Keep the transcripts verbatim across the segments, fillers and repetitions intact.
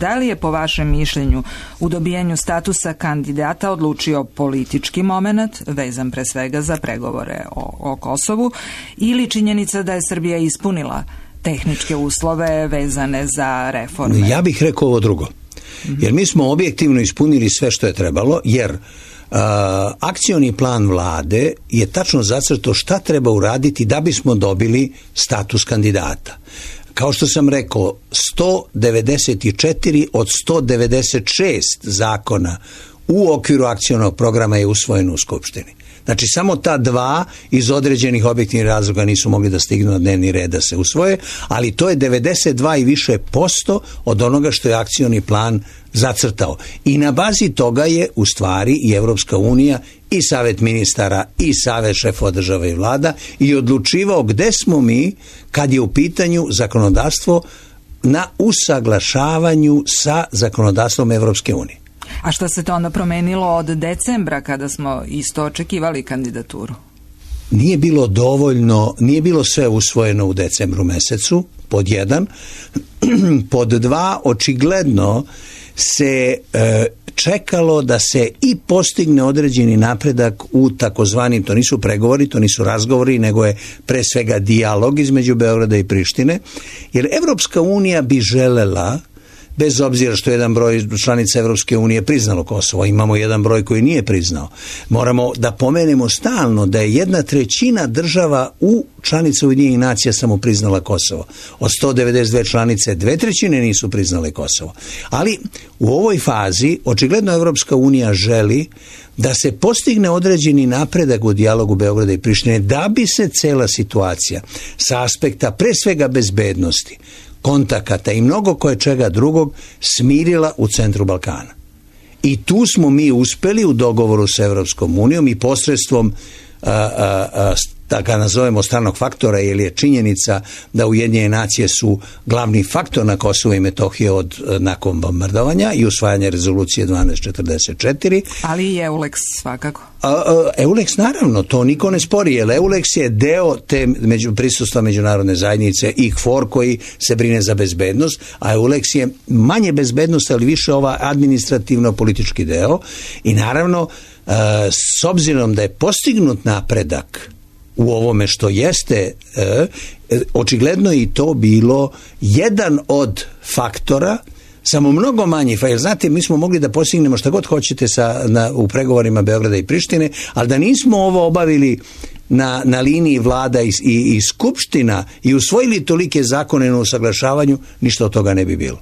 Da li je po vašem mišljenju u dobijanju statusa kandidata odlučio politički moment, vezan pre svega za pregovore o, o Kosovu, ili činjenica da je Srbija ispunila tehničke uslove vezane za reforme? Ja bih rekao ovo drugo. Jer mi smo objektivno ispunili sve što je trebalo, jer uh, akcioni plan vlade je tačno zacrtao šta treba uraditi da bismo dobili status kandidata. Kao što sam rekao, sto devedeset četiri od sto devedeset šest zakona u okviru akcionog programa je usvojeno u Skupštini. Znači, samo ta dva iz određenih objektivnih razloga nisu mogli da stignu na dnevni red da se usvoje, ali to je devedeset dva i više posto od onoga što je akcioni plan zacrtao. I na bazi toga je u stvari i Evropska unija i Savet ministara i Savet šefova država i vlada i odlučivao gde smo mi kad je u pitanju zakonodavstvo na usaglašavanju sa zakonodavstvom Evropske unije. A što se to onda promenilo od decembra kada smo isto očekivali kandidaturu? Nije bilo dovoljno, nije bilo sve usvojeno u decembru mesecu, pod jedan. Pod dva, očigledno se e, čekalo da se i postigne određeni napredak u takozvanim, to nisu pregovori, to nisu razgovori, nego je pre svega dijalog između Beograda i Prištine, jer Evropska unija bi želela, bez obzira što jedan broj članica Evropske unije priznalo Kosovo, imamo jedan broj koji nije priznao. Moramo da pomenemo stalno da je jedna trećina država u članica Ujedinjenih nacija samo priznala Kosovo. Od sto devedeset dve članice, dve trećine nisu priznale Kosovo. Ali u ovoj fazi očigledno Evropska unija želi da se postigne određeni napredak u dijalogu Beograda i Prištine, da bi se cela situacija sa aspekta pre svega bezbednosti, kontakata i mnogo koje čega drugog smirila u centru Balkana. I tu smo mi uspeli u dogovoru sa Evropskom unijom i posredstvom a, a, a, da ga nazovemo stranog faktora, jer je činjenica da Ujedinjene nacije su glavni faktor na Kosovo i Metohije od nakon bombardovanja i usvajanja rezolucije dvanaest četrdeset četiri. Ali i EULEX svakako. A, a, EULEX naravno, to niko ne spori, jer EULEX je deo te među, prisustva međunarodne zajednice i K F O R koji se brine za bezbednost, a EULEX je manje bezbednost, ali više ova administrativno-politički deo i naravno a, s obzirom da je postignut napredak u ovome što jeste, e, očigledno i to bilo jedan od faktora, samo mnogo manji, jer znate, mi smo mogli da postignemo šta god hoćete sa, na, u pregovorima Beograda i Prištine, ali da nismo ovo obavili na, na liniji vlada i, i, i skupština i usvojili tolike zakone na usaglašavanju, ništa od toga ne bi bilo.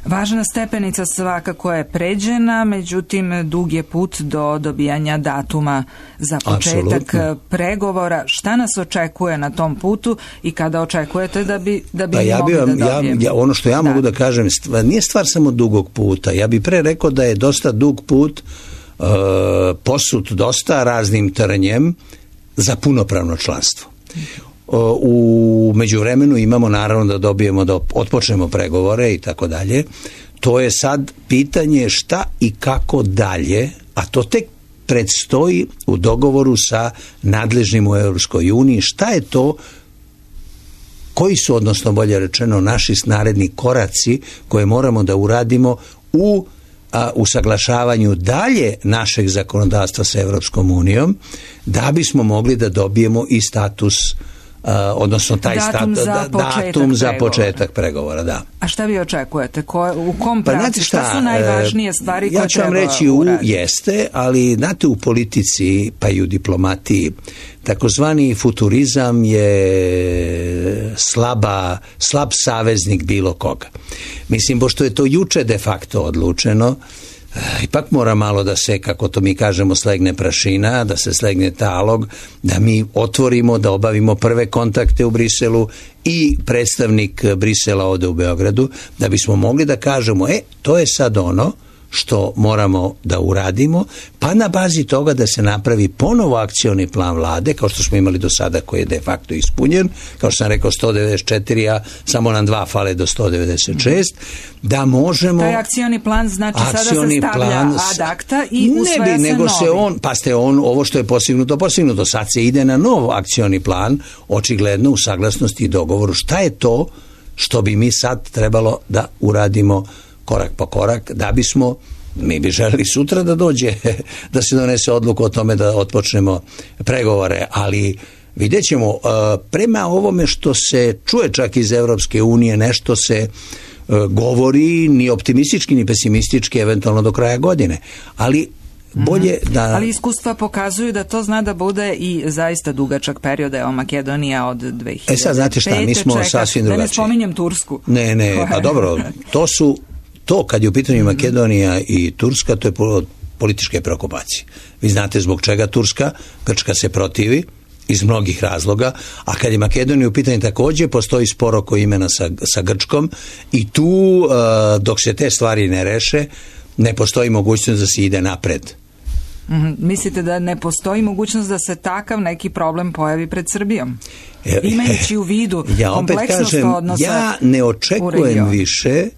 Važna stepenica svakako je pređena, međutim dug je put do dobijanja datuma za početak Absolutno. pregovora. Šta nas očekuje na tom putu i kada očekujete da bi, da bi pa ja mogli bi vam, da dobijemo? Ja, ja, ono što ja da. mogu da kažem, stvar, nije stvar samo dugog puta. Ja bi pre rekao da je dosta dug put uh, posut dosta raznim trnjem za punopravno članstvo. U međuvremenu imamo naravno da dobijemo, da otpočnemo pregovore i tako dalje. To je sad pitanje šta i kako dalje, a to tek predstoji u dogovoru sa nadležnim u Europskoj uniji. Šta je to, koji su, odnosno bolje rečeno, naši naredni koraci koje moramo da uradimo u a, usaglašavanju dalje našeg zakonodavstva sa Europskom unijom, da bismo mogli da dobijemo i status Uh, odnosno taj datum, stat, za, da, početak datum za pregovora. početak pregovora, da. A šta vi očekujete? Ko, u kom pa, pravcu? Šta, šta su najvažnije stvari koje ja ću vam treba reći u, uraditi? jeste, ali znate u politici pa i u diplomatiji takozvani futurizam je slaba, slab saveznik bilo koga. Mislim, pošto je to juče de facto odlučeno, ipak mora malo da se, kako to mi kažemo, slegne prašina, da se slegne talog, da mi otvorimo, da obavimo prve kontakte u Briselu i predstavnik Brisela ode u Beogradu, da bismo mogli da kažemo, e, to je sad ono što moramo da uradimo, pa na bazi toga da se napravi ponovo akcioni plan vlade, kao što smo imali do sada, koji je de facto ispunjen, kao što sam rekao sto devedeset četiri, a samo nam dva fale do sto devedeset šest, da možemo... Taj akcioni plan znači sada se stavlja plan, ad acta i usvaja ne bi, se nego novi. Se on, pa ste on, ovo što je postignuto, postignuto, sad se ide na nov akcioni plan, očigledno u saglasnosti i dogovoru. Šta je to što bi mi sad trebalo da uradimo korak po korak, da bismo, mi bi želeli sutra da dođe, da se donese odluku o tome da otpočnemo pregovore, ali vidjet ćemo, prema ovome što se čuje čak iz Evropske unije, nešto se govori ni optimistički ni pesimistički, eventualno do kraja godine, ali bolje da... Ali iskustva pokazuju da to zna da bude i zaista dugačak period, evo Makedonija od dve hiljade pete. E sad znate šta, mi smo čeka, sasvim drugačiji. Da ne spominjem Tursku. Ne, ne, pa dobro, to su, to kad je u pitanju Makedonija i Turska, to je političke preokupacije. Vi znate zbog čega Turska, Grčka se protivi, iz mnogih razloga, a kad je Makedonija u pitanju također, postoji spor oko imena sa, sa Grčkom i tu, uh, dok se te stvari ne reše, ne postoji mogućnost da se ide napred. Mm-hmm. Mislite da ne postoji mogućnost da se takav neki problem pojavi pred Srbijom? Imajući u vidu ja kompleksnost kažem, odnosa ja ne očekujem više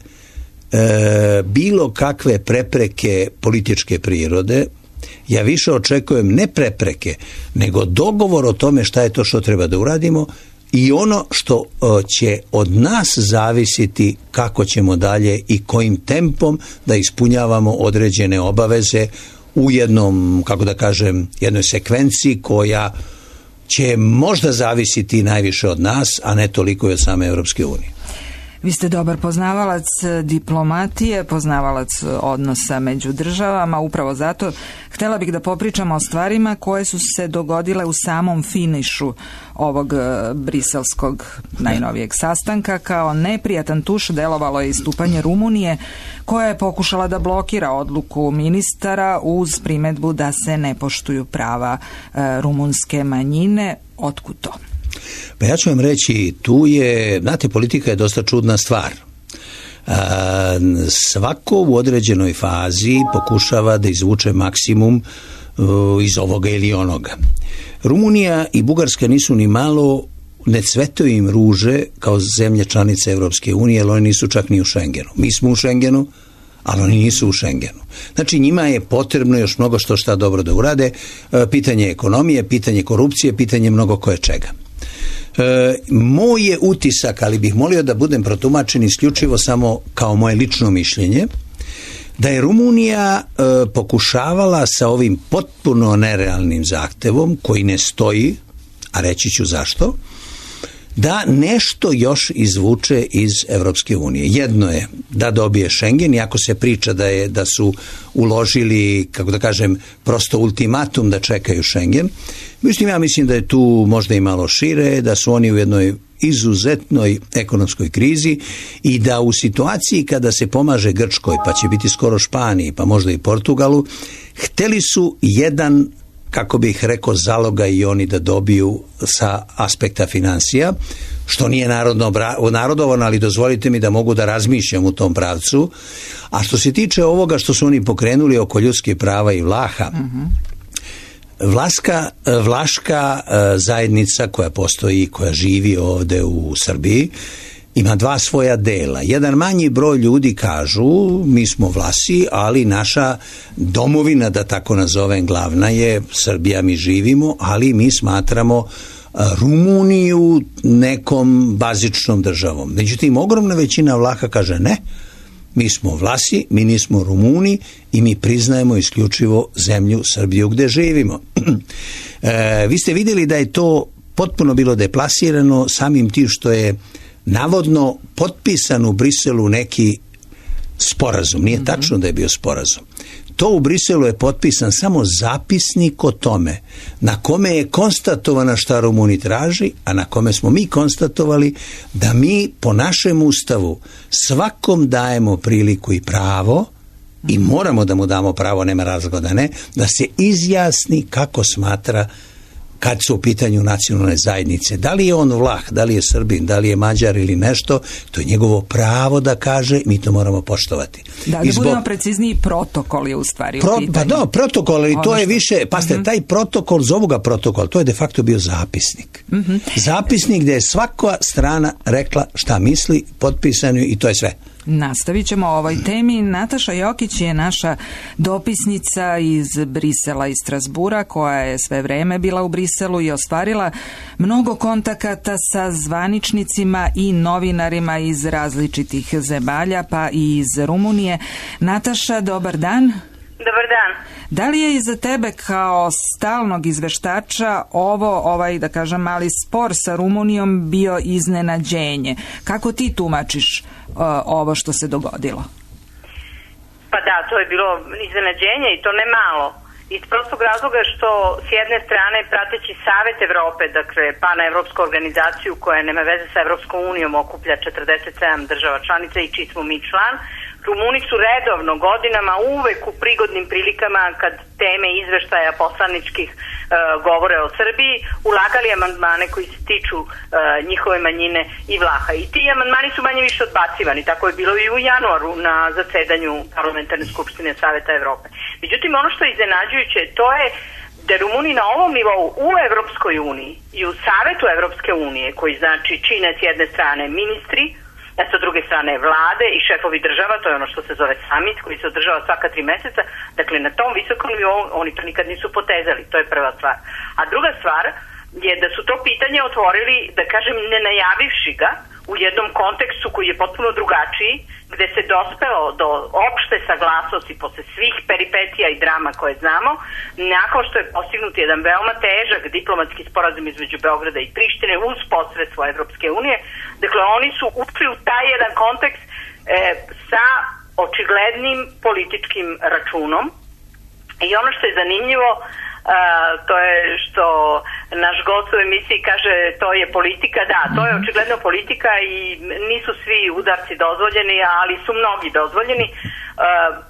e, bilo kakve prepreke političke prirode. Ja više očekujem ne prepreke, nego dogovor o tome šta je to što treba da uradimo i ono što o, će od nas zavisiti kako ćemo dalje i kojim tempom da ispunjavamo određene obaveze u jednom, kako da kažem, jednoj sekvenciji koja će možda zavisiti najviše od nas, a ne toliko i od same Evropske unije. Vi ste dobar poznavalac diplomatije, poznavalac odnosa među državama, upravo zato htjela bih da popričamo o stvarima koje su se dogodile u samom finišu ovog briselskog najnovijeg sastanka. Kao neprijatan tuš delovalo je istupanje Rumunije, koja je pokušala da blokira odluku ministara uz primedbu da se ne poštuju prava rumunske manjine. Otkud to? Pa ja ću vam reći, tu je, znate, politika je dosta čudna stvar. A, svako u određenoj fazi pokušava da izvuče maksimum uh, iz ovoga ili onoga. Rumunija i Bugarska nisu ni malo, ne cvetaju im ruže kao zemlje članice Evropske unije, jer oni nisu čak ni u Schengenu. Mi smo u Schengenu, ali oni nisu u Schengenu. Znači njima je potrebno još mnogo što šta dobro da urade, pitanje ekonomije, pitanje korupcije, pitanje mnogo koje čega. E, moj je utisak, ali bih molio da budem protumačen isključivo samo kao moje lično mišljenje, da je Rumunija e, pokušavala sa ovim potpuno nerealnim zahtevom, koji ne stoji, a reći ću zašto, da nešto još izvuče iz Evropske unije. Jedno je da dobije Schengen, iako se priča da je da su uložili, kako da kažem, prosto ultimatum da čekaju Schengen. Mislim, ja mislim da je tu možda i malo šire, da su oni u jednoj izuzetnoj ekonomskoj krizi i da u situaciji kada se pomaže Grčkoj, pa će biti skoro Španiji, pa možda i Portugalu, hteli su jedan, kako bih rekao, zaloga i oni da dobiju sa aspekta financija, što nije narodno narodovano, ali dozvolite mi da mogu da razmišljam u tom pravcu. A što se tiče ovoga što su oni pokrenuli oko ljudskih prava i Vlaha, mm-hmm. Vlaška, Vlaška zajednica koja postoji, koja živi ovde u Srbiji, ima dva svoja dela. Jedan manji broj ljudi kažu, mi smo Vlasi, ali naša domovina, da tako nazovem, glavna je Srbija, mi živimo, ali mi smatramo Rumuniju nekom bazičnom državom. Međutim, ogromna većina Vlaha kaže ne, mi smo Vlasi, mi nismo Rumuni i mi priznajemo isključivo zemlju Srbiju gde živimo. e, vi ste vidjeli da je to potpuno bilo deplasirano samim tim što je navodno potpisan u Briselu neki sporazum. Nije tačno da je bio sporazum. To u Briselu je potpisan samo zapisnik o tome na kome je konstatovana šta Rumuni traži, a na kome smo mi konstatovali da mi po našem ustavu svakom dajemo priliku i pravo i moramo da mu damo pravo, nema razloga da ne, da se izjasni kako smatra kad su u pitanju nacionalne zajednice. Da li je on Vlah, da li je Srbin, da li je Mađar ili nešto, to je njegovo pravo da kaže, mi to moramo poštovati. Da, da zbog... budemo precizniji, protokol je u stvari Pro, u pitanju. Pa da, protokol, ali to je što... više, pasite, uh-huh. taj protokol, zovu ga protokol, to je de facto bio zapisnik. Uh-huh. Zapisnik gdje je svaka strana rekla šta misli, potpisano i to je sve. Nastavit ćemo o ovoj temi. Nataša Jokić je naša dopisnica iz Brisela i Strasbura, koja je sve vreme bila u Briselu i ostvarila mnogo kontakata sa zvaničnicima i novinarima iz različitih zemalja, pa i iz Rumunije. Nataša, dobar dan. Dobar dan. Da li je iza tebe kao stalnog izveštača ovo, ovaj, da kažem, mali spor sa Rumunijom bio iznenađenje? Kako ti tumačiš uh, ovo što se dogodilo? Pa da, to je bilo iznenađenje i to ne malo. Iz prostog razloga što s jedne strane prateći Savet Evrope, dakle panevropsku organizaciju koja nema veze sa Evropskom unijom, okuplja četrdeset sedam država članica i čiji smo mi član, Rumuni su redovno godinama uvek u prigodnim prilikama kad teme izveštaja poslaničkih e, govore o Srbiji ulagali amandmane koji se tiču e, njihove manjine i Vlaha. I ti amandmani su manje više odbacivani. Tako je bilo i u januaru na zasedanju Parlamentarne skupštine Saveta Evrope. Međutim, ono što je iznenađujuće to je da Rumuni na ovom nivou u Evropskoj uniji i u Savetu Evropske unije, koji znači čine s jedne strane ministri, a sa druge strane vlade i šefovi država, to je ono što se zove summit, koji se održava svaka tri meseca, dakle na tom visokom nivou oni to nikad nisu potezali, to je prva stvar. A druga stvar je da su to pitanje otvorili, da kažem, ne najavivši ga, u jednom kontekstu koji je potpuno drugačiji, gde se dospelo do opšte saglasnosti posle svih peripetija i drama koje znamo, nakon što je postignut jedan veoma težak diplomatski sporazum između Beograda i Prištine uz posredstvo Evropske unije. Dakle, oni su ušli u taj jedan kontekst e, sa očiglednim političkim računom. I ono što je zanimljivo, Uh, to je što naš gost u emisiji kaže to je politika. Da, to je očigledno politika i nisu svi udarci dozvoljeni, ali su mnogi dozvoljeni. Uh,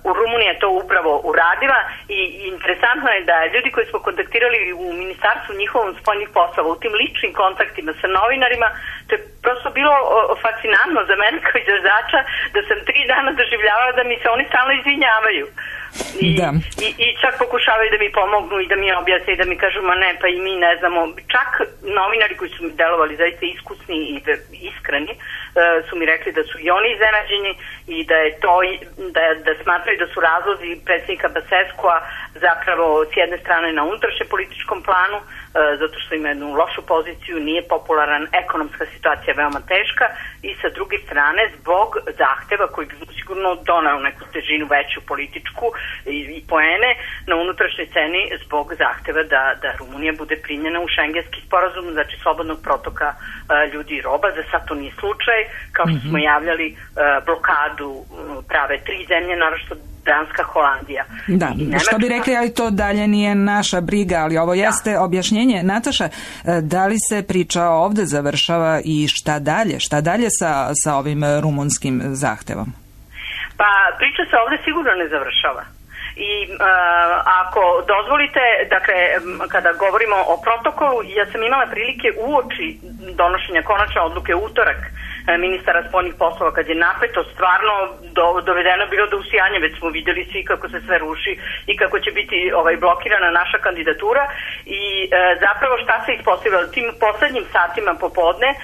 u Rumuniji je to upravo uradila i interesantno je da ljudi koji smo kontaktirali u ministarstvu njihovom spoljnih poslova, u tim ličnim kontaktima sa novinarima, to je prosto bilo uh, fascinantno za mene kao izvođača, da sam tri dana doživljavala da mi se oni stalno izvinjavaju. I, i, i čak pokušavaju da mi pomognu i da mi objasne i da mi kažu ma ne, pa i mi ne znamo. Čak novinari koji su mi delovali zaista iskusni i iskreni uh, su mi rekli da su i oni iznenađeni i da je to da, da smatraju da su razlozi predsjednika Basescua zapravo s jedne strane na unutrašnjem političkom planu, uh, zato što ima jednu lošu poziciju, nije popularan, ekonomska situacija veoma teška, i sa druge strane zbog zahteva koji bi sigurno donao neku težinu veću političku i, i poene na unutrašnjoj sceni zbog zahteva da, da Rumunija bude primljena u šengenski sporazum, znači slobodnog protoka uh, ljudi i roba. Za sad to nije slučaj, kao što smo javljali, uh, blokadu uh, prave tri zemlje, naročito Danska, Holandija. Da, što bi rekli, ali to dalje nije naša briga, ali ovo jeste da. Objašnjenje. Nataša, da li se priča ovde završava i šta dalje? Šta dalje sa, sa ovim rumunskim zahtevom? Pa priča se ovde sigurno ne završava. I uh, ako dozvolite, dakle, kada govorimo o protokolu, ja sam imala prilike uoči donošenja konačne odluke u utorak ministara spoljnih poslova, kad je napeto stvarno do, dovedeno bilo do usijanja, već smo vidjeli svi kako se sve ruši i kako će biti ovaj blokirana naša kandidatura i e, zapravo šta se ispostavilo tim poslednjim satima popodne, e,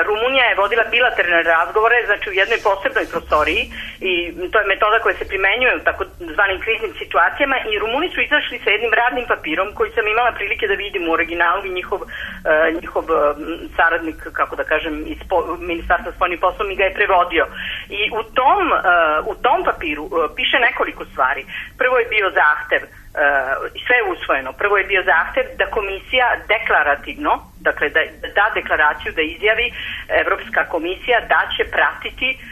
Rumunija je vodila bilateralne razgovore, znači u jednoj posebnoj prostoriji, i to je metoda koja se primenjuje u tako zvanim kriznim situacijama, i Rumuni su izašli sa jednim radnim papirom koji sam imala prilike da vidim u originalu i njihov, e, njihov saradnik, kako da kažem, iz ministarstva sa spoljnim poslom mi ga je prevodio. I u tom, uh, u tom papiru uh, piše nekoliko stvari. Prvo je bio zahtev, uh, sve je usvojeno, prvo je bio zahtev da komisija deklarativno, dakle da, da da deklaraciju, da izjavi Evropska komisija da će pratiti uh,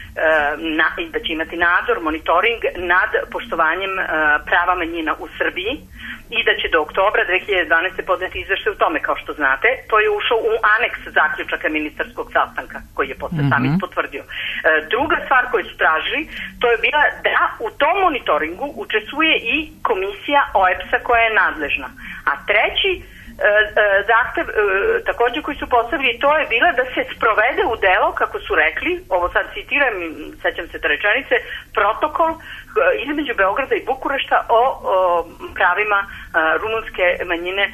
na, i da će imati nadzor, monitoring nad poštovanjem uh, prava manjina u Srbiji i da će do oktobra dve hiljade dvanaeste. podneti izveštaj u tome, kao što znate. To je ušao u aneks zaključaka ministarskog sastanka koji je posle mm-hmm. samit potvrdio. E, druga stvar koju su tražili, to je bila da u tom monitoringu učestvuje i komisija O E P S-a koja je nadležna. A treći e, e, zahtev, e, takođe koji su postavili, to je bila da se sprovede u delo, kako su rekli, ovo sad citiram, sećam se te rečenice, protokol između Beograda i Bukurešta o, o pravima a, rumunske manjine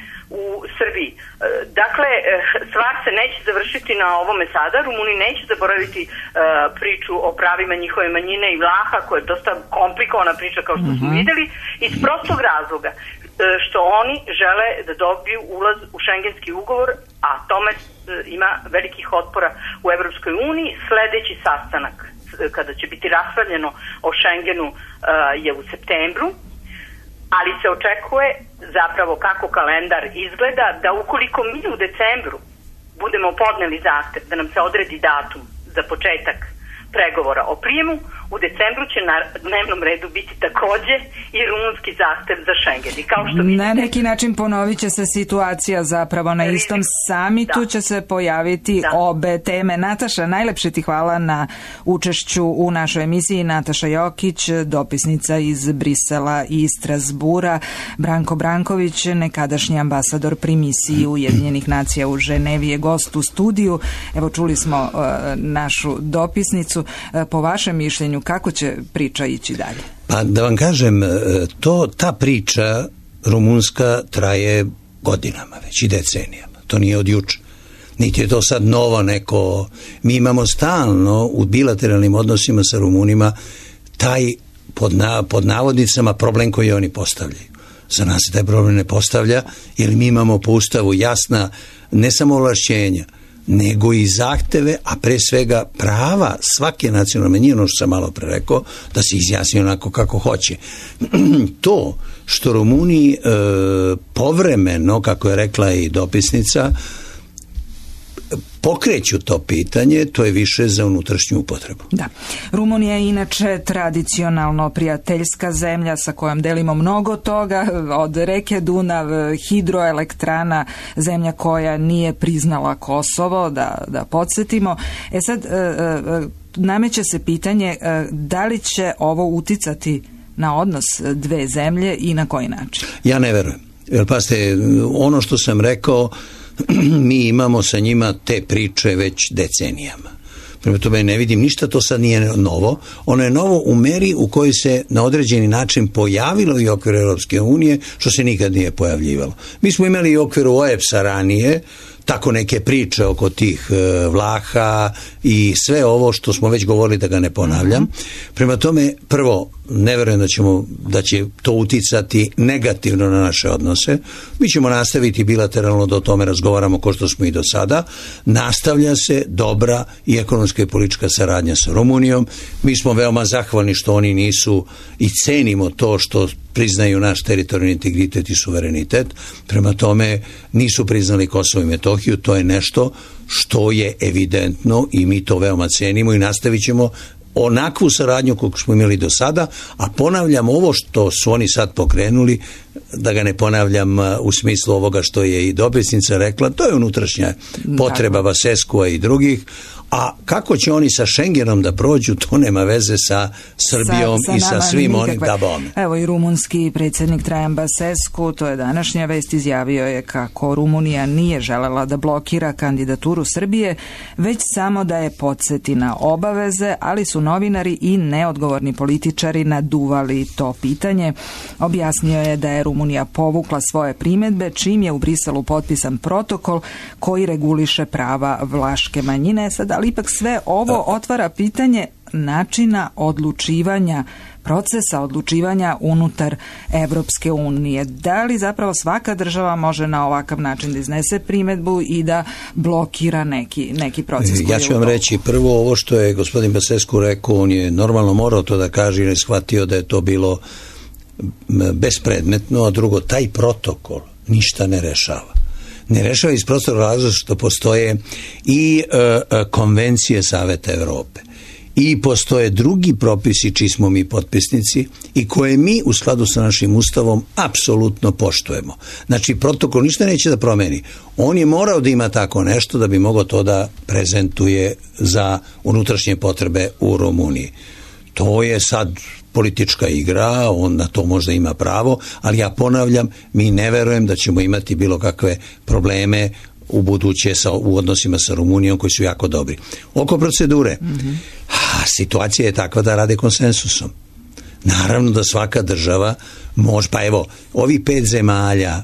u Srbiji. E, dakle, stvar se neće završiti na ovome sada. Rumuni neće zaboraviti e, priču o pravima njihove manjine i Vlaha, koja je dosta komplikovana priča, kao što smo mm-hmm. videli, iz prostog razloga što oni žele da dobiju ulaz u šengenski ugovor, a tome ima velikih otpora u Evropskoj uniji. Sledeći sastanak, kada će biti raspravljeno o Šengenu, je u septembru, ali se očekuje zapravo kako kalendar izgleda, da ukoliko mi u decembru budemo podneli zahtev da nam se odredi datum za početak pregovora o prijemu, u decembru će na dnevnom redu biti takođe i rumunski zahtev za Šengen. I kao što vidite, na neki način ponovit će se situacija zapravo na istom samitu, da. će se pojaviti da. obe teme. Nataša, najlepše ti hvala na učešću u našoj emisiji. Nataša Jokić, dopisnica iz Brisela i Strasbura. Branko Branković, nekadašnji ambasador pri misiji Ujedinjenih nacija u Ženevi, je gost u studiju. Evo, čuli smo uh, našu dopisnicu. Uh, po vašem mišljenju, kako će priča ići dalje? Pa da vam kažem, to, ta priča rumunska traje godinama, već i decenijama. To nije od juče. Niti je to sad novo neko... Mi imamo stalno u bilateralnim odnosima sa Rumunima taj pod, na, pod navodnicama problem koji oni postavljaju. Za nas se taj problem ne postavlja, jer mi imamo po Ustavu jasna ne samo ovlašćenja, nego i zahteve, a pre svega prava svake nacionalne manjine, ono što sam malo pre rekao, da se izjasni onako kako hoće. To što Rumuni e, povremeno, kako je rekla i dopisnica, pokreću to pitanje, to je više za unutrašnju upotrebu. Da. Rumunija je inače tradicionalno prijateljska zemlja sa kojom delimo mnogo toga, od reke Dunav, hidroelektrana, zemlja koja nije priznala Kosovo, da, da podsjetimo. E sad, nameće se pitanje da li će ovo uticati na odnos dve zemlje i na koji način? Ja ne verujem. Jer pazite, ono što sam rekao, mi imamo sa njima te priče već decenijama. Prema tome ne vidim ništa, to sad nije novo. Ono je novo u meri u kojoj se na određeni način pojavilo i okvir Europske unije, što se nikad nije pojavljivalo. Mi smo imali i okvir o E P S-a ranije, tako neke priče oko tih e, Vlaha i sve ovo što smo već govorili, da ga ne ponavljam. Prema tome, prvo, ne verujem da, ćemo, da će to uticati negativno na naše odnose. Mi ćemo nastaviti bilateralno da o tome razgovaramo kao što smo i do sada. Nastavlja se dobra i ekonomska i politička saradnja sa Rumunijom. Mi smo veoma zahvalni što oni nisu i cenimo to što priznaju naš teritorijalni integritet i suverenitet. Prema tome nisu priznali Kosovo i Metohiju. To je nešto što je evidentno i mi to veoma cenimo i nastavit ćemo onakvu saradnju koju smo imali do sada, a ponavljam ovo što su oni sad pokrenuli, da ga ne ponavljam u smislu ovoga što je i dopisnica rekla, to je unutrašnja potreba Vaseskua i drugih, a kako će oni sa Šengenom da prođu, to nema veze sa Srbijom sa, sa i sa svim onim da bome. Evo i rumunski predsjednik Trajan Basescu, to je današnja vest, izjavio je kako Rumunija nije želela da blokira kandidaturu Srbije, već samo da je podsjeti na obaveze, ali su novinari i neodgovorni političari naduvali to pitanje. Objasnio je da je Rumunija povukla svoje primedbe, čim je u Briselu potpisan protokol koji reguliše prava vlaške manjine. Sad, ali ipak sve ovo otvara pitanje načina odlučivanja, procesa odlučivanja unutar Evropske unije. Da li zapravo svaka država može na ovakav način da iznese primedbu i da blokira neki, neki proces? Ja ću vam reći prvo ovo što je gospodin Basescu rekao, on je normalno morao to da kaže i ne shvatio da je to bilo bespredmetno, a drugo, taj protokol ništa ne rešava. Ne rešava iz prostora razloga što postoje i e, konvencije Saveta Evrope i postoje drugi propisi čiji smo mi potpisnici i koje mi u skladu sa našim ustavom apsolutno poštujemo. Znači, protokol ništa neće da promeni. On je morao da ima tako nešto da bi mogao to da prezentuje za unutrašnje potrebe u Rumuniji. To je sad politička igra, on na to možda ima pravo, ali ja ponavljam, mi ne verujem da ćemo imati bilo kakve probleme u buduće sa, u odnosima sa Rumunijom koji su jako dobri. Oko procedure, mm-hmm. ha, situacija je takva da rade konsensusom. Naravno da svaka država može, pa evo, ovi pet zemalja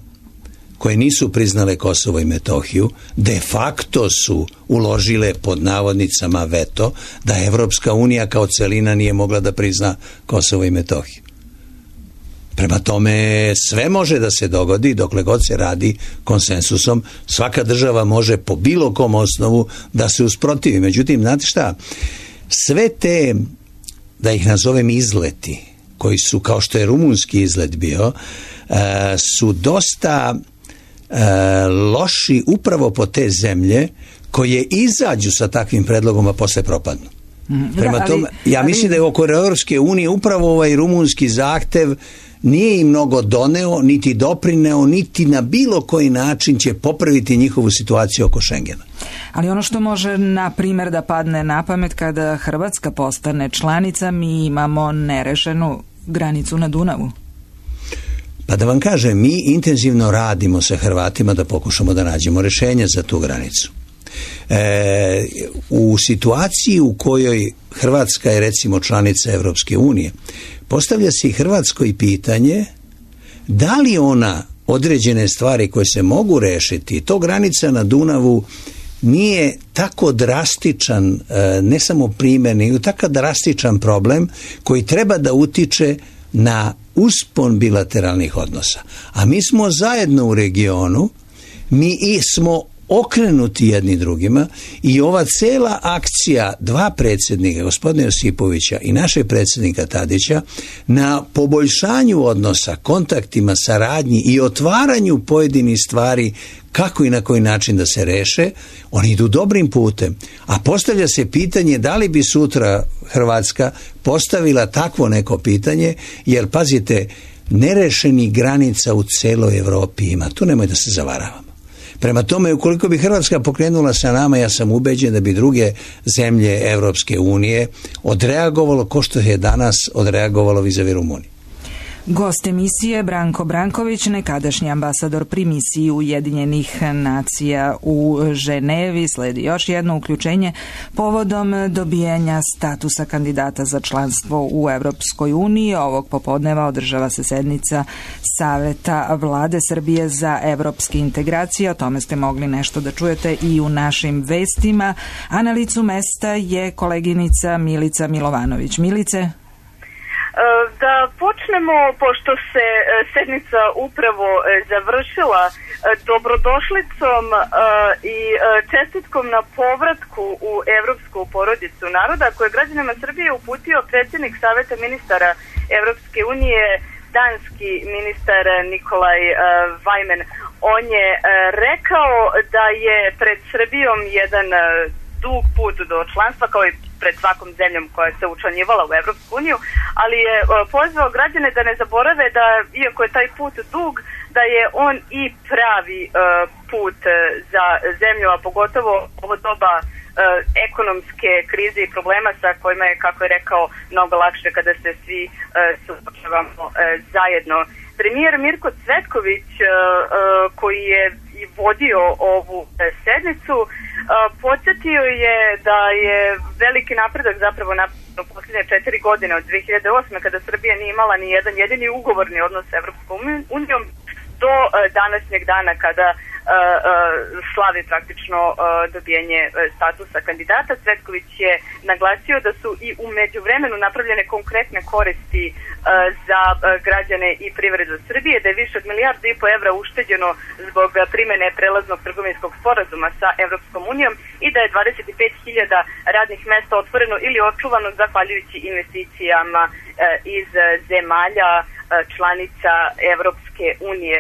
koje nisu priznale Kosovo i Metohiju, de facto su uložile pod navodnicama veto da Evropska unija kao celina nije mogla da prizna Kosovo i Metohiju. Prema tome, sve može da se dogodi dokle god se radi konsensusom. Svaka država može po bilo kom osnovu da se usprotivi. Međutim, znate šta, sve te, da ih nazovem izleti, koji su, kao što je rumunski izlet bio, su dosta loši upravo po te zemlje koje izađu sa takvim predlogom, a posle propadnu. Prema tome, ja mislim da je oko Europske unije upravo ovaj rumunski zahtev nije im mnogo doneo, niti doprineo, niti na bilo koji način će popraviti njihovu situaciju oko Schengena. Ali ono što može, na primjer, da padne na pamet kada Hrvatska postane članica, mi imamo nerešenu granicu na Dunavu. Pa da vam kažem, mi intenzivno radimo sa Hrvatima da pokušamo da nađemo rešenje za tu granicu. E, u situaciji u kojoj Hrvatska je recimo članica Evropske unije, postavlja se i Hrvatskoj pitanje da li ona određene stvari koje se mogu rešiti, to granica na Dunavu nije tako drastičan, ne samo primjer, nego tako drastičan problem koji treba da utiče na uspon bilateralnih odnosa. A mi smo zajedno u regionu, mi i smo okrenuti jedni drugima i ova cela akcija dva predsjednika, gospodina Josipovića i našeg predsjednika Tadića, na poboljšanju odnosa, kontaktima, saradnji i otvaranju pojedinih stvari kako i na koji način da se reše, oni idu dobrim putem. A postavlja se pitanje da li bi sutra Hrvatska postavila takvo neko pitanje, jer pazite, nerešenih granica u celoj Evropi ima, tu nemoj da se zavaravamo. Prema tome, ukoliko bi Hrvatska pokrenula sa nama, ja sam ubeđen da bi druge zemlje Evropske unije odreagovalo ko što je danas odreagovalo vizavi Rumunije. Gost emisije Branko Branković, nekadašnji ambasador pri misiji Ujedinjenih nacija u Ženevi. Sledi još jedno uključenje povodom dobijanja statusa kandidata za članstvo u Evropskoj uniji. Ovog popodneva održava se sednica Saveta Vlade Srbije za evropske integracije. O tome ste mogli nešto da čujete i u našim vestima. A na licu mesta je koleginica Milica Milovanović. Milice? Da počnemo, pošto se sednica upravo završila, dobrodošlicom i čestitkom na povratku u evropsku porodicu naroda koje građanima Srbije uputio predsjednik Saveta ministara Evropske unije, danski ministar Nikolaj Vajmen. On je rekao da je pred Srbijom jedan dug put do članstva, kao i pred svakom zemljom koja se učlanjivala u Evropsku uniju, ali je pozvao građane da ne zaborave da, iako je taj put dug, da je on i pravi uh, put za zemlju, a pogotovo ovo doba uh, ekonomske krize i problema sa kojima je, kako je rekao, mnogo lakše kada se svi uh, suočavamo uh, zajedno. Premijer Mirko Cvetković, uh, uh, koji je i vodio ovu uh, sednicu, Uh, podsjetio je da je veliki napredak zapravo napravljen u posljednje četiri godine od dve hiljade osme kada Srbija nije imala ni jedan jedini ugovorni odnos s Evropskom unijom do uh, današnjeg dana kada uh, uh, slavi praktično uh, dobijanje uh, statusa kandidata. Cvetković je naglasio da su i u međuvremenu napravljene konkretne koristi uh, za uh, građane i privredu Srbije, da je više od milijardu i po evra ušteđeno zbog uh, primene prelaznog trgovinskog sporazuma sa Evropskom unijom i da je dvadeset pet hiljada radnih mesta otvoreno ili očuvano zahvaljujući investicijama uh, iz uh, zemalja uh, članica Evropske unije.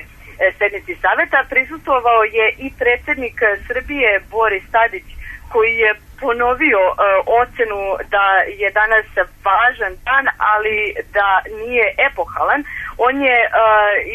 Sednici saveta prisustvovao je i predsjednik Srbije Boris Tadić, koji je ponovio uh, ocenu da je danas važan dan, ali da nije epohalan. On je uh,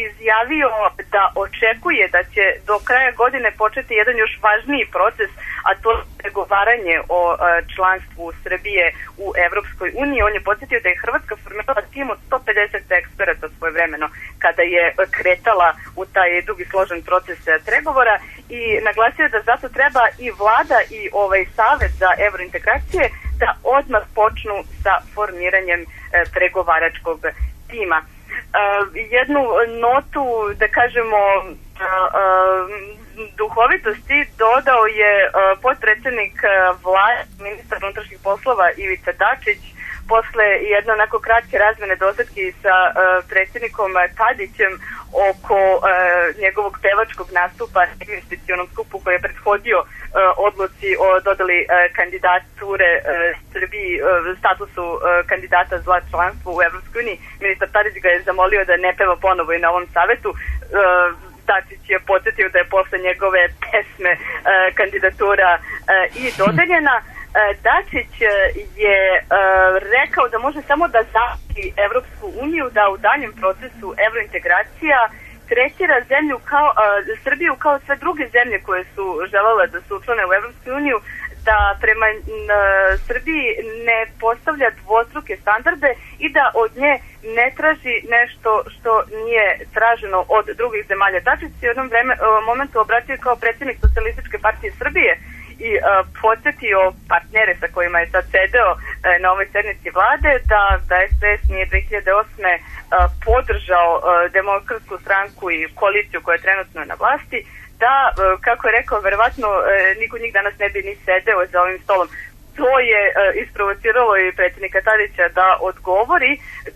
izjavio da očekuje da će do kraja godine početi jedan još važniji proces, a to je pregovaranje o uh, članstvu Srbije u Evropskoj uniji. On je podsjetio da je Hrvatska formirala tim od sto pedeset eksperata svojevremeno kada je kretala u taj dugi složen proces pregovora i naglasio da zato treba i vlada i ovaj savet za evrointegracije da odmah počnu sa formiranjem e, pregovaračkog tima. E, jednu notu, da kažemo, e, e, duhovitosti dodao je e, potpredsjednik vlade, ministar unutrašnjih poslova Ivica Dačić, posle jedne onako kratke razmene dosadki sa uh, predsjednikom Tadićem oko uh, njegovog pevačkog nastupa na investicionom skupu koji je prethodio uh, odluci o dodali uh, kandidature uh, Srbiji, uh, statusu uh, kandidata za članstvo u Evropskoj uniji. Ministar Tadić ga je zamolio da ne peva ponovo i na ovom savetu. Uh, Dačić je podsjetio da je posle njegove pesme uh, kandidatura uh, i dodeljena. Dačić je uh, rekao da može samo da zamoli Evropsku uniju da u daljem procesu evrointegracija tretira zemlju kao, uh, Srbiju kao sve druge zemlje koje su želele da se učlane u Evropsku uniju, da prema uh, Srbiji ne postavlja dvostruke standarde i da od nje ne traži nešto što nije traženo od drugih zemalja. Dačić se u jednom vreme, uh, momentu obratio kao predsjednik Socijalističke partije Srbije i uh, podsjetio partnere sa kojima je sad sedeo uh, na ovoj sednici vlade da, da es de es nije dve hiljade osme uh, podržao uh, Demokratsku stranku i koaliciju koja je trenutno na vlasti, da, uh, kako je rekao, verovatno uh, niko njih danas ne bi ni sedeo za ovim stolom. To je uh, isprovociralo i predsjednika Tadića da odgovori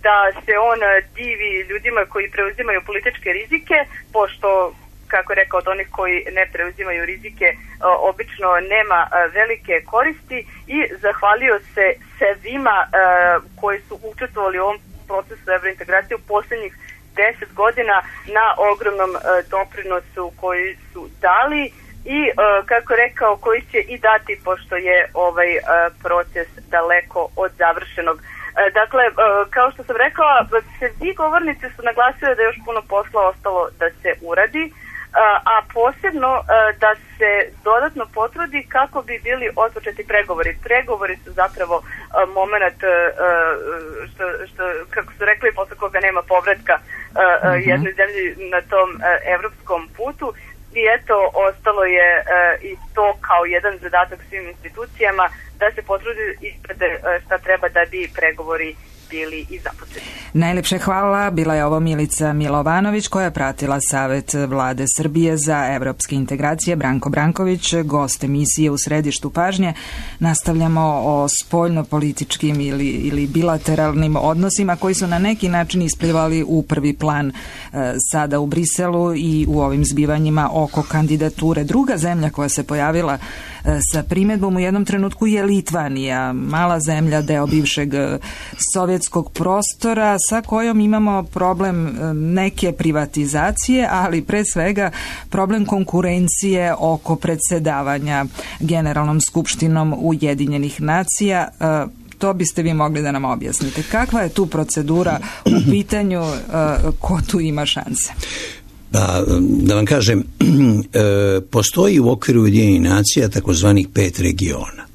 da se on uh, divi ljudima koji preuzimaju političke rizike, pošto, kako je rekao, od onih koji ne preuzimaju rizike obično nema velike koristi, i zahvalio se svima koji su učestvovali u ovom procesu evrointegracije u posljednjih deset godina na ogromnom doprinosu koji su dali i, kako je rekao, koji će i dati, pošto je ovaj proces daleko od završenog. Dakle, kao što sam rekla, svi govornici su naglasili da je još puno posla ostalo da se uradi, a posebno da se dodatno potrudi kako bi bili otpočeti pregovori. Pregovori su zapravo moment, što, što, kako su rekli, posle koga nema povratka uh-huh. jednoj zemlji na tom evropskom putu. I eto, ostalo je i to kao jedan zadatak svim institucijama da se potrudi isprede šta treba da bi pregovori bili i započeti. Najlepše hvala. Bila je ovo Milica Milovanović koja je pratila Savet vlade Srbije za evropske integracije. Branko Branković, gost emisije U središtu pažnje. Nastavljamo o spoljno-političkim ili, ili bilateralnim odnosima koji su na neki način isplivali u prvi plan e, sada u Briselu i u ovim zbivanjima oko kandidature. Druga zemlja koja se pojavila e, sa primedbom u jednom trenutku je Litvanija, mala zemlja, deo bivšeg sovjetskog prostora, sa kojom imamo problem neke privatizacije, ali pre svega problem konkurencije oko predsedavanja Generalnom skupštinom Ujedinjenih nacija. To biste vi mogli da nam objasnite. Kakva je tu procedura u pitanju, ko tu ima šanse? Pa, da vam kažem, postoji u okviru Ujedinjenih nacija takozvanih pet regiona.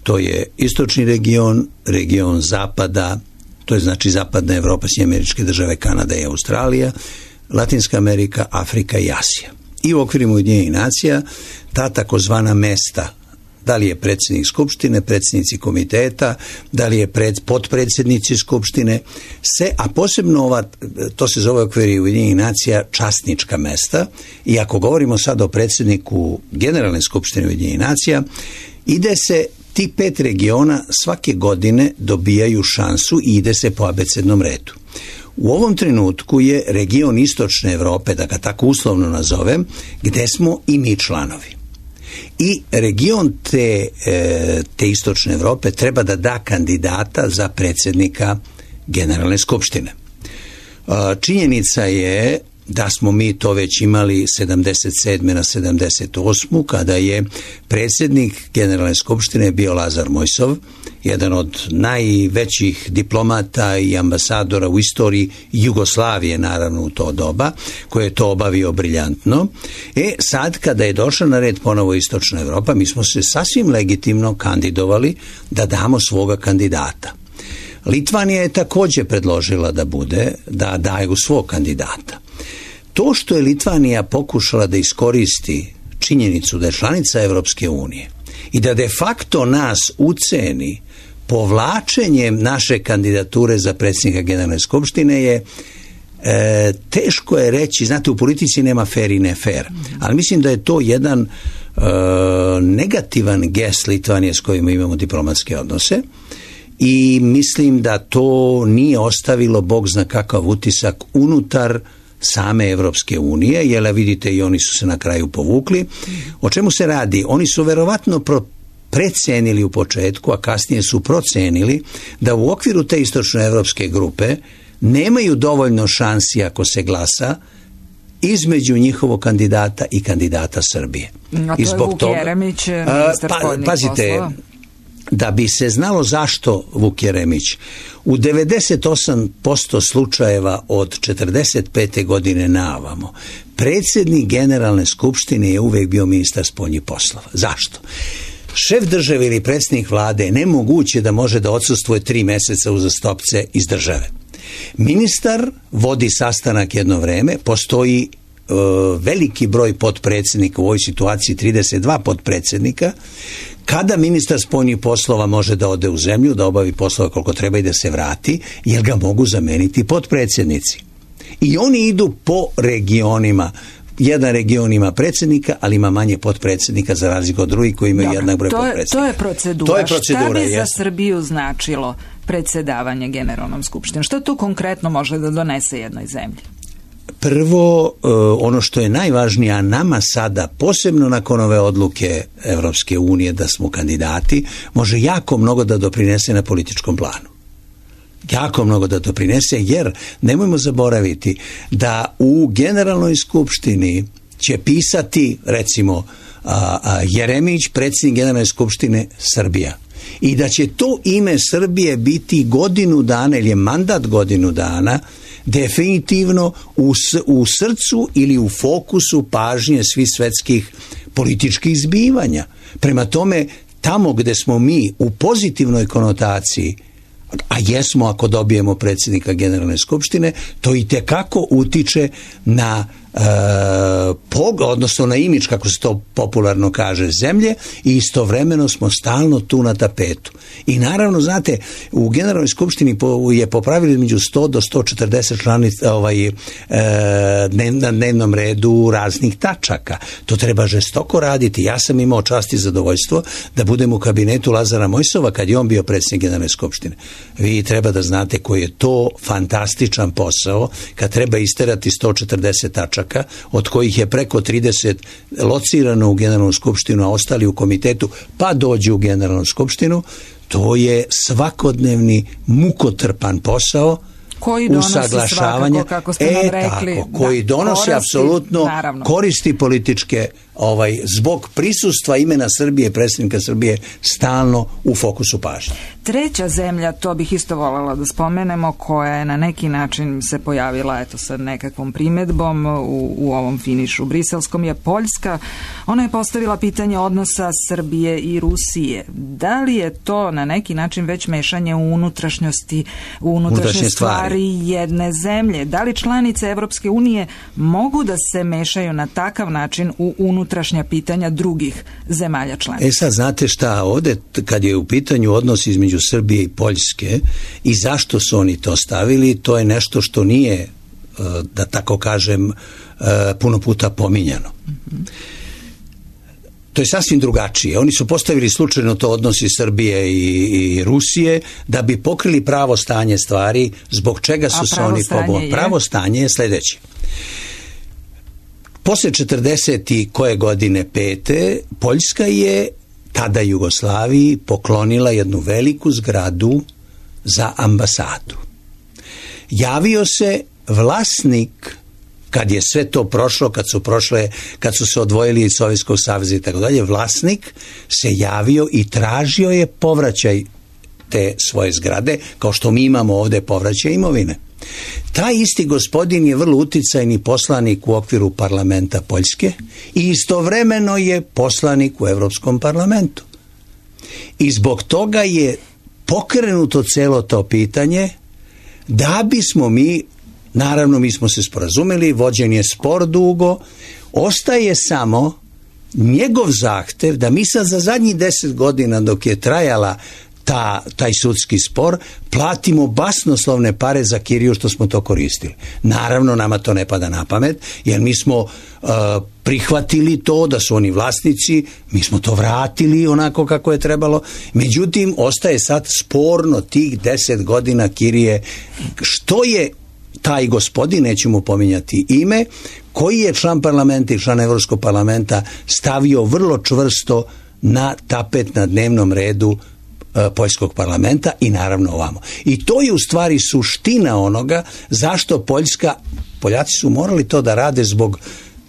To je istočni region, region zapada, to je znači zapadna Evropa, Sjedinjene Američke Države, Kanada i Australija, Latinska Amerika, Afrika i Asija. I u okviru Ujedinjenih nacija ta takozvana mesta, da li je predsjednik skupštine, predsjednici komiteta, da li je pred, potpredsjednici skupštine, se, a posebno ova, to se zove u okviru Ujedinjenih nacija časnička mesta, i ako govorimo sad o predsjedniku Generalne skupštine Ujedinjenih nacija, ide se, ti pet regiona svake godine dobijaju šansu i ide se po abecednom redu. U ovom trenutku je region istočne Evrope, da ga tako uslovno nazovem, gde smo i mi članovi. I region te, te istočne Evrope treba da da kandidata za predsjednika Generalne skupštine. Činjenica je da smo mi to već imali sedamdeset sedme na sedamdeset osmu kada je predsjednik Generalne skupštine bio Lazar Mojsov, jedan od najvećih diplomata i ambasadora u istoriji Jugoslavije, naravno u to doba, koji je to obavio briljantno. E sad kada je došla na red ponovo Istočna Evropa, mi smo se sasvim legitimno kandidovali da damo svoga kandidata. Litvanija je također predložila da bude, da daju svog kandidata. To što je Litvanija pokušala da iskoristi činjenicu da je članica Evropske unije i da de facto nas uceni povlačenjem naše kandidature za predsjednika Generalne skupštine je e, teško je reći, znate, u politici nema fair i ne fair, ali mislim da je to jedan e, negativan gest Litvanije s kojim imamo diplomatske odnose i mislim da to nije ostavilo bog zna kakav utisak unutar same Evropske unije, jer vidite i oni su se na kraju povukli. O čemu se radi? Oni su verovatno pro precenili u početku, a kasnije su procenili da u okviru te istočnoevropske grupe nemaju dovoljno šansi ako se glasa između njihovog kandidata i kandidata Srbije. A to I zbog je Vuk toga, Jeremić, ministar pa, spoljnih pazite, poslova. Da bi se znalo zašto Vuk Jeremić, u devedeset osam posto slučajeva od četrdeset pete godine naovamo, predsjednik Generalne skupštine je uvijek bio ministar spoljnih poslova. Zašto? Šef države ili predsjednik vlade je nemoguće da može da odsustvuje tri mjeseca uzastopce iz države. Ministar vodi sastanak jedno vreme, postoji e, veliki broj potpredsjednika, u ovoj situaciji trideset dva potpredsjednika. Kada ministar spoljnih poslova može da ode u zemlju, da obavi poslove koliko treba i da se vrati, jer ga mogu zameniti potpredsjednici. I oni idu po regionima. Jedan region ima predsjednika, ali ima manje potpredsjednika za razliku od drugih koji imaju jednak broj potpredsjednika. To je procedura. To je procedura. Šta bi jest. za Srbiju značilo predsjedavanje Generalnom skupštinom? Što to konkretno može da donese jednoj zemlji? Prvo, ono što je najvažnije, a nama sada, posebno nakon ove odluke Evropske unije da smo kandidati, može jako mnogo da doprinese na političkom planu. Jako mnogo da doprinese, jer nemojmo zaboraviti da u Generalnoj skupštini će pisati, recimo, a, a, Jeremić, predsjednik Generalne skupštine Srbija. I da će to ime Srbije biti godinu dana, ili je mandat godinu dana, definitivno u, u srcu ili u fokusu pažnje svih svetskih političkih zbivanja. Prema tome, tamo gde smo mi u pozitivnoj konotaciji, a jesmo ako dobijemo predsjednika Generalne skupštine, to i tekako utiče na e, pog, odnosno na imidž, kako se to popularno kaže, zemlje, i istovremeno smo stalno tu na tapetu. I naravno, znate, u Generalnoj skupštini po, je po pravilu između sto do sto četrdeset članica ovaj, e, na dnevnom redu raznih tačaka. To treba žestoko raditi. Ja sam imao čast i zadovoljstvo da budem u kabinetu Lazara Mojsova kad je on bio predsjednik Generalne skupštine. Vi treba da znate koji je to fantastičan posao kad treba isterati sto četrdeset tačaka, od kojih je preko trideset locirano u Generalnu skupštinu, a ostali u komitetu, pa dođu u Generalnu skupštinu. To je svakodnevni mukotrpan posao koji donosi svakako, kako ste nam e, rekli, tako, koji da, donosi koristi, apsolutno naravno. Koristi političke, ovaj, zbog prisustva imena Srbije, predsjednika Srbije, stalno u fokusu pažnje. Treća zemlja, to bih isto voljela da spomenemo, koja je na neki način se pojavila eto sa nekakvom primedbom u, u ovom finišu briselskom, je Poljska. Ona je postavila pitanje odnosa Srbije i Rusije. Da li je to na neki način već mešanje u unutrašnjosti, u unutrašnje stvari, stvari jedne zemlje? Da li članice Evropske unije mogu da se mešaju na takav način u unutrašnja pitanja drugih zemalja članica? E sad, znate šta, ovdje kad je u pitanju odnos između Srbije i Poljske i zašto su oni to stavili, to je nešto što nije, da tako kažem, puno puta pominjano. Mm-hmm. To je sasvim drugačije. Oni su postavili slučajno to odnosi Srbije i, i Rusije da bi pokrili pravo stanje stvari, zbog čega su se oni pobunili. Pravo stanje je sljedeće. Posle četrdeset i koje godine pete, Poljska je tada Jugoslaviji poklonila jednu veliku zgradu za ambasadu. Javio se vlasnik, kad je sve to prošlo, kad su prošle, kad su se odvojili iz Sovjetskog saveza i tako dalje, vlasnik se javio i tražio je povraćaj te svoje zgrade, kao što mi imamo ovdje povraćaj imovine. Taj isti gospodin je vrlo uticajni poslanik u okviru parlamenta Poljske i istovremeno je poslanik u Evropskom parlamentu. I zbog toga je pokrenuto celo to pitanje da bismo mi, naravno mi smo se sporazumeli, vođen je spor dugo, ostaje samo njegov zahtev da mi sad za zadnjih deset godina dok je trajala ta, taj sudski spor, platimo basnoslovne pare za kiriju što smo to koristili. Naravno, nama to ne pada na pamet, jer mi smo uh, prihvatili to da su oni vlasnici, mi smo to vratili onako kako je trebalo. Međutim, ostaje sad sporno tih deset godina kirije. Što je taj gospodin, nećemo pominjati ime, koji je član parlamenta i član Evropskog parlamenta stavio vrlo čvrsto na tapet na dnevnom redu e, poljskog parlamenta i naravno ovamo. I to je u stvari suština onoga zašto Poljska, Poljaci su morali to da rade zbog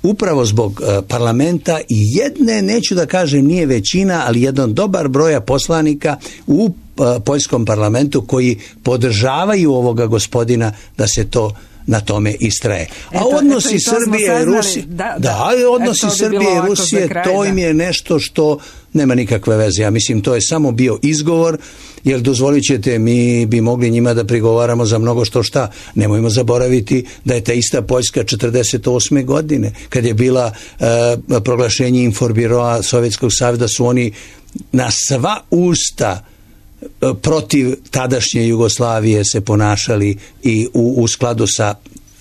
upravo zbog e, parlamenta i jedne, neću da kažem nije većina, ali jedan dobar broja poslanika u e, poljskom parlamentu koji podržavaju ovoga gospodina da se to na tome istraje. A eto, odnosi eto, Srbije i Rusije, da, da, da, odnosi eto, Srbije i Rusije, kraj, to im je nešto što nema nikakve veze. Ja mislim, to je samo bio izgovor, jer dozvolit ćete, mi bi mogli njima da prigovaramo za mnogo što šta. Nemojmo zaboraviti da je ta ista Poljska četrdeset osme godine, kad je bila e, proglašenje Inforbiroa Sovjetskog saveza, su oni na sva usta protiv tadašnje Jugoslavije se ponašali i u, u skladu sa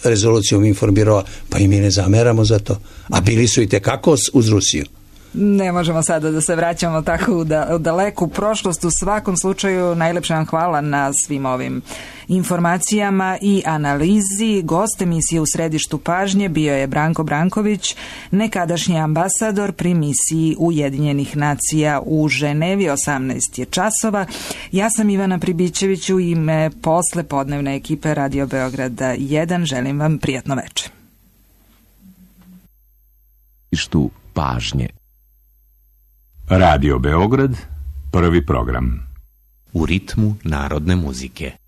rezolucijom Inforbiroa, pa i mi ne zameramo za to. A bili su i tekako uz Rusiju. Ne možemo sada da se vraćamo tako u, da, u daleku prošlost. U svakom slučaju najlepše vam hvala na svim ovim informacijama i analizi. Gost emisije U središtu pažnje bio je Branko Branković, nekadašnji ambasador pri misiji Ujedinjenih nacija u Ženevi. osamnaest je časova. Ja sam Ivana Pribićević, u ime posle podnevne ekipe Radio Beograda jedan. Želim vam prijatno večer. Središtu pažnje. Radio Beograd, prvi program. U ritmu narodne muzike.